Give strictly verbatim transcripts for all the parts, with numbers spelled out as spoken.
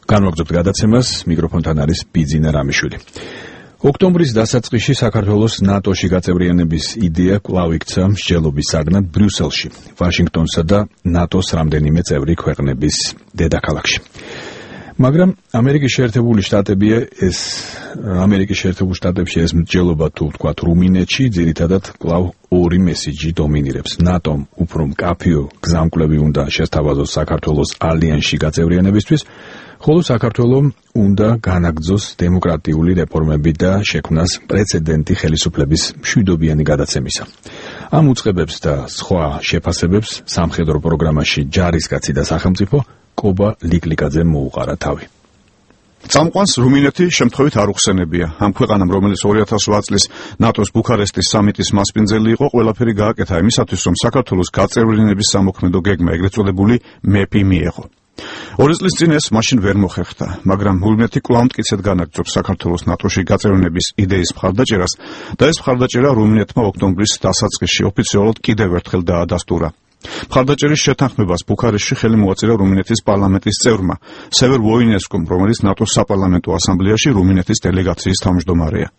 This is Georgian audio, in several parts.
განვაგრძობთ გადაცემას, მიკროფონთან არის ბიძინა რამიშვილი. ოქტომბრის დასაწყისში საქართველოს ნატოში გაწევრიანების იდეა კვლავ იქცა მსჯელობის საგნად ბრიუსელში, ვაშინგტონსა და ნატოს რამდენიმე წევრი ქვეყნების დედაქალაქში. მაგრამ ამერიკის შეერთებული შტატებია ეს ამერიკის შეერთებულ შტატებში ეს მსჯელობა თუ ვთქვათ რუმინეთში ძირითადად კვლავ ორი მესიჯი დომინირებს. ნატომ უფრო მკაფიო გზამკვლევი უნდა შესთავაზოს საქართველოს ალიანსში გაწევრიანებისთვის, ხოლო საქართველომ უნდა განაგრძოს დემოკრატიული რეფორმები და შექმნას პრეცედენტი ხელისუფლების მშვიდობიანი გადაცემისა. ამ უწყებებს და სხვა შეფასებებს სამხედრო პროგრამაში ჯარისკაცი და სახელმწიფო კობა ლიკლიკაძემ მოუყარა თავი. წამყვანს რუმინეთი შემთხვევით არ უხსენებია. ამ ქვეყანამ, რომელიც ორი ათას ოთხ წლის ნატოს ბუქარესტის სამიტის მასპინძელი იყო, ყველაფერი გააკეთა იმისათვის, რომ საქართველოს გაწევრიანების სამოქმედო გეგმა, ეგრეთ წოდებული მეპი მიეღო. ორი წლის წინ ეს მაშინ ვერ მოხერხდა, მაგრამ რუმინეთი კვლავ მტკიცედ განაგრძობს საქართველოს ნატოში გაწევრიანების იდეის მხარდაჭერას და ეს მხარდაჭერა რუმინეთმა ოქტომბრის დასაწყისში ოფიციალურად კიდევ ერთხელ დაადასტურა. მხარდაჭერის შეთანხმებას ბუქარესტში ხელი მოაწერა რუმინეთის პარლამენტის წევრმა სევერ ვოინესკომ, რომელიც ნატოს საპარლამენტო ასამბლეაში რუმინეთის დელეგაციის თავმჯდომარეა.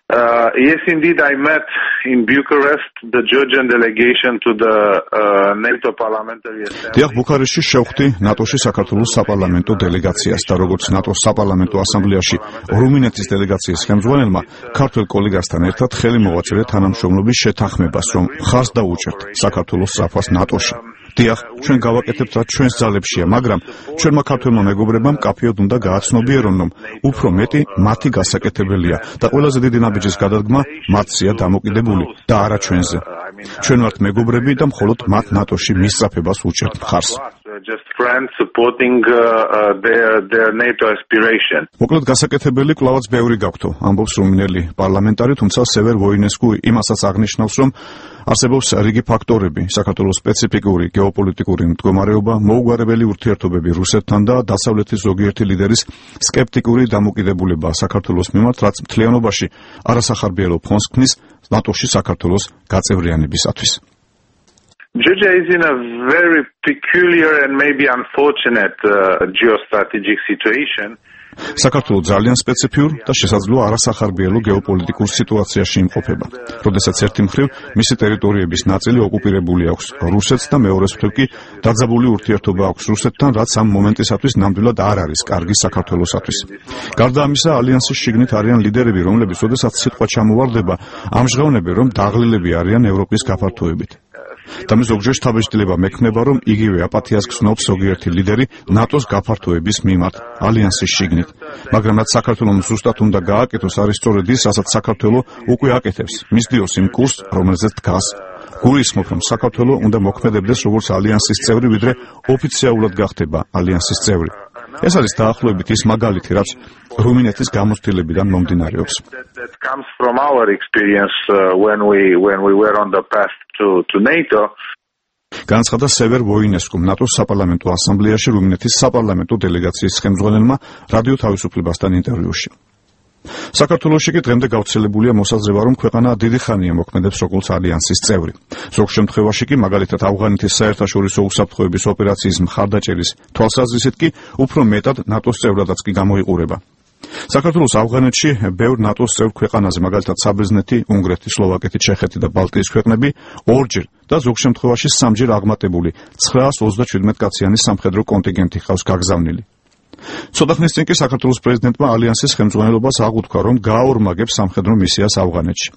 Uh, yes, indeed, I met in Bucharest the Georgian delegation to the uh, NATO Parliamentary Assembly. დიახ, ბუქარესტში შევხვდი ნატოში საქართველოს საპარლამენტო დელეგაციას და როგორც ნატოს საპარლამენტო ასამბლეაში რუმინეთის დელეგაციის ხელმძღვანელმა ქართველ კოლეგასთან ერთად ხელი მოვაწერე თანამშრომლობის შეთანხმებას, რომ ხარს დაუჭერთ საქართველოს სწრაფას ნატოში. დიახ, ჩვენ გავაკეთებთ რაც ჩვენს ძალებშია, მაგრამ ჩვენმა ქართველმა მეგობრებმა მკაფიოდ უნდა გააცნობიერონ, რომ უფრო მეტი მათი გასაკეთებელია და ყველაზე დიდი ნაბიჯის გადადგმა მათზეა დამოკიდებული და არა ჩვენზე. ჩვენ ვართ მეგობრები და მხოლოდ მათ ნატოში მისწრაფებას უჭერთ მხარს. Just friends supporting uh, uh, their their NATO aspiration. მოკლედ გასაკეთებელი კვლავაც ბევრი გაქვთო, ამბობს რუმინელი პარლამენტარი, თუმცა სევერ ვოინესკუ იმასაც აღნიშნავს, რომ არსებობს რიგი ფაქტორები, საქართველოს სპეციფიკური გეოპოლიტიკური მდგომარეობა, მოუგვარებელი ურთიერთობები რუსეთთან და დასავლეთის ზოგიერთი ლიდერის სკეპტიკური დამოკიდებულება საქართველოს მიმართ, რაც მთლიანობაში არასახარბიელო ფონს ქმნის ნატოში საქართველოს გაწევრიანებისათვის. Georgia is in a very peculiar and maybe unfortunate uh, geostrategic situation. საქართველო ძალიან სპეციფიურ და შესაძლოა არასახარბიელო გეოპოლიტიკურ სიტუაციაში იმყოფება, როდესაც ერთი მხრივ მისი ტერიტორიების ნაწილი ოკუპირებული აქვს რუსეთს და მეორეს მხრივ კი დაძაბული ურთიერთობა აქვს რუსეთთან, რაც ამ მომენტისათვის ნამდვილად არ არის კარგი საქართველოსათვის. გარდა ამისა, ალიანსის შიგნით არიან ლიდერები, რომლებიც როდესაც სიტყვა ჩამოვარდება, ამჟღავნებენ, რომ დაღლილები არიან ევროპის გაფართოებით. და მე ზოგჯერ შთაბეჭდილება მექნება, რომ იგივე აპათიას გრძნობს ზოგიერთი ლიდერი ნატოს გაფართოების მიმართ ალიანსის შიგნით. მაგრამ რაც საქართველოს ზუსტად უნდა გააკეთოს, არის სწორედ ის, რასაც საქართველო უკვე აკეთებს, მისდიოს იმ კურსს, რომელზეც დგას. გულისხმობ, რომ საქართველო უნდა მოქმედებდეს როგორც ალიანსის წევრი, ვიდრე ოფიციალურად გახდება ალიანსის წევრი. ეს არის დაახლოებით ის მაგალითი, რაც რუმინეთის გამოცდილებიდან მომდინარეობს. That comes from our experience uh, when we when we were on the path to to NATO. განაცხადა სევერ ვოინესკომ, ნატოს საპარლამენტო ასამბლეაში რუმინეთის საპარლამენტო დელეგაციის ხელმძღვანელმა რადიო თავისუფლებასთან ინტერვიუში. საქართველოში კი დღემდე გავრცელებულია მოსაზრება, რომ ქვეყანა დიდი ხანია მოქმედებს როგორც ალიანსის წევრი. ზოგ შემთხვევაში კი, მაგალითად ავღანეთის საერთაშორისო უსაფრთხოების ოპერაციის მხარდაჭერის თვალსაზრისით კი უფრო მეტად ნატოს წევრადაც კი გამოიყურება. საქართველოს ავღანეთში ბევრ ნატოს წევრ ქვეყანაზე, მაგალითად საბერძნეთი, უნგრეთი, სლოვაკეთი, ჩეხეთი და ბალტიის ქვეყნები ორჯერ და ზოგ შემთხვევაში სამჯერ აღმატებული ცხრაას ოცდაშვიდმეტ კაციანი სამხედრო კონტინგენტი ხავს გაგზავნილი. ცოტა ხნის წინ კი საქართველოს პრეზიდენტმა ალიანსის ხელმძღვანელობას აღუთქვა, რომ გააორმაგებს სამხედრო მისიას ავღანეთში.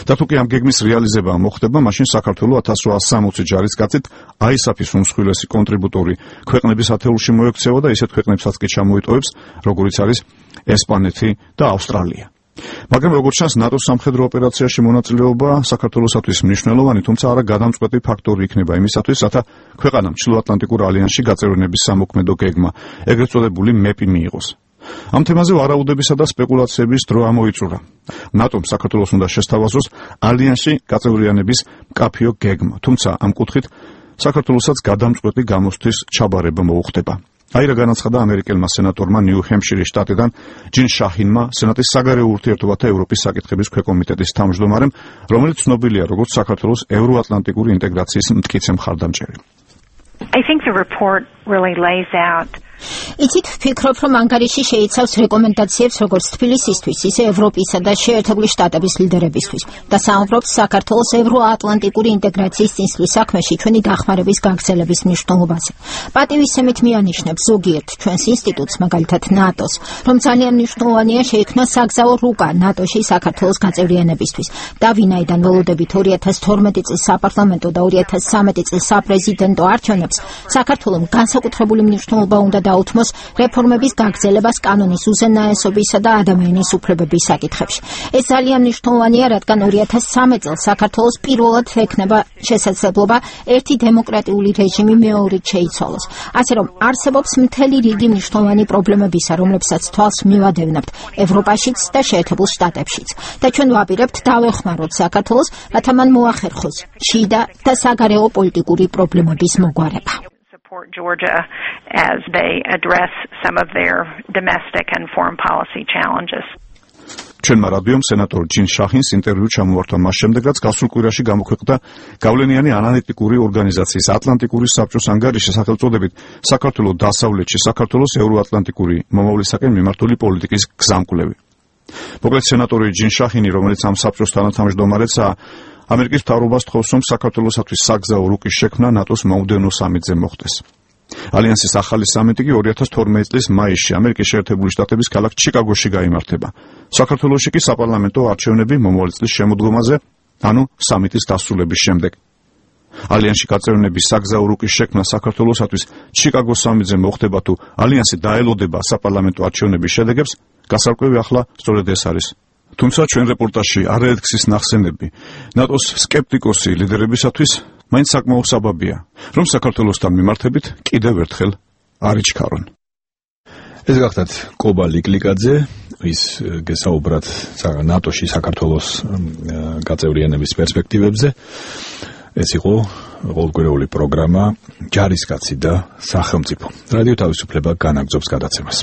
და თუ კი ამ გეგმის რეალიზება მოხდება, მაშინ საქართველოს ათას რვაას სამოცი ჯარისკაცით აისაფის უმსხვილესი კონტრიბუტორი ქვეყნების ათეულში მოექცევა და ისეთ ქვეყნებსაც კი ჩამოიტოვებს, როგორიც არის ესპანეთი და ავსტრალია. მაგრამ როგორც ჩანს, ნატოს სამხედრო ოპერაციაში მონაწილეობა საქართველოსათვის მნიშვნელოვანი, თუმცა არა გადამწყვეტი ფაქტორი იქნება იმისათვის, რათა ქვეყანამ ჩრდილოატლანტიკურ ალიანსში გაწევრიანების სამოქმედო გეგმა, ეგრეთ წოდებული მეპი მიიღოს. ამ თემაზე ვარაუდებისა და სპეკულაციების დრო ამოიწურა. ნატომ საქართველოს უნდა შესთავაზოს ალიანსში გაწევრიანების მკაფიო გეგმა, თუმცა ამ კუთხით საქართველოსაც გადამწყვეტი გამოსთვის ჩაბარება მოუხდება. აირა განაცხადა ამერიკელმა სენატორმა ნიუ-ჰემპშირის შტატიდან ჯინ შაჰინმა, სენატის საგარეო ურთიერთობათა ევროპის საკითხების ქვეკომიტეტის თავმჯდომარემ, რომელიც ცნობილია როგორც საქართველოს ევროატლანტიკური ინტეგრაციის მტკიცე მხარდამჭერი. I think the report really lays out იცით, ვფიქრობ, რომ ანგარიში შეიცავს რეკომენდაციებს როგორც თბილისისთვის, ისე ევროპისა და შეერთებული შტატების ლიდერებისთვის და საუბრობს საქართველოს ევროატლანტიკური ინტეგრაციის წინსვლის საქმეში ჩვენი დახმარების გაგრძელების მნიშვნელობაზე. პატივისცემით მიანიშნებს ზოგიერთ ჩვენს ინსტიტუტს, მაგალითად ნატოს, რომ ძალიან მნიშვნელოვანია შეიქმნა საგზაო რუკა ნატოში საქართველოს გაწევრიანებისთვის და ვინაიდან ველოდებით ორი ათას თორმეტი წლის საპარლამენტო და ორი ათას სამეტი წლის საპრეზიდენტო არჩევნებს, საქართველოს განსაკუთრებული მნიშვნელობა უნდა დაუთმოს რეფორმების გაგრძელებას კანონის უზენაესობისა და ადამიანის უფლებების საკითხებში. ეს ძალიან მნიშვნელოვანია, რადგან ორი ათას სამი წელს საქართველოს პირველად ექნება შესაძლებლობა ერთი დემოკრატიული რეჟიმი მეორედ შეიცვალოს. ასე რომ არსებობს მთელი რიგი მნიშვნელოვანი პრობლემებისა, რომლებსაც თვალს მივადევნებთ ევროპაშიც და შეერთებულ შტატებშიც. და ჩვენ ვაპირებთ დავეხმაროთ საქართველოს, რათა მან მოახერხოს შიდა და საგარეო პოლიტიკური პრობლემების მოგვარება. Support Georgia as they address some of their domestic and foreign policy challenges. ჩვენმა რადიომ სენატორ ჯინ შახინს ინტერვიუ ჩამოართვა მას შემდეგ, რაც გასულ კვირაში გამოქვეყნდა გავლენიანი ანალიტიკური ორგანიზაციის ატლანტიკური საბჭოს ანგარიში სახელწოდებით საქართველოს დასავლეთში საქართველოს ევროატლანტიკური მომავლისაკენ მიმართული პოლიტიკის გზამკვლევი. მოკლედ სენატორი ჯინ შახინი, რომელიც ამ საბჭოს თანათავმჯდომარეცაა, ამერიკის მთავრობას თხოვს, რომ საქართველოსათვის საგზაო რუკის შექმნა ნატოს მომდევნო სამიტზე მოხდეს. ალიანსის ახალი სამიტი კი ორი ათას თორმეტი წლის მაისში ამერიკის შეერთებული შტატების ქალაქ ჩიკაგოში გაიმართება. საქართველოში კი საპარლამენტო არჩევნები მომავალი წლის შემოდგომაზე, ანუ სამიტის დასრულების შემდეგ. ალიანსში გაწევრიანების საგზაო რუკის შექმნა საქართველოსათვის ჩიკაგოს სამიტზე მოხდება თუ ალიანსი დაელოდება საპარლამენტო არჩევნების შედეგებს, გასარკვევი ახლა სწორედ ეს არის. თუმცა ჩვენ რეპორტაჟში არაერთგზის ნახსენები ნატოს სკეპტიკოსი ლიდერებისათვის მაინც საკმაო საბაბია, რომ საქართველოსთან მიმართებით კიდევ ერთხელ არ იჩქარონ. ეს გახდათ კობა ლიკლიკაძე, ის გესაუბრათ ნატოში საქართველოს გაწევრიანების პერსპექტივებზე. ეს იყო ყოველკვირეული პროგრამა ჯარისკაცი და სახელმწიფო. რადიო თავისუფლება განაგრძობს გადაცემას.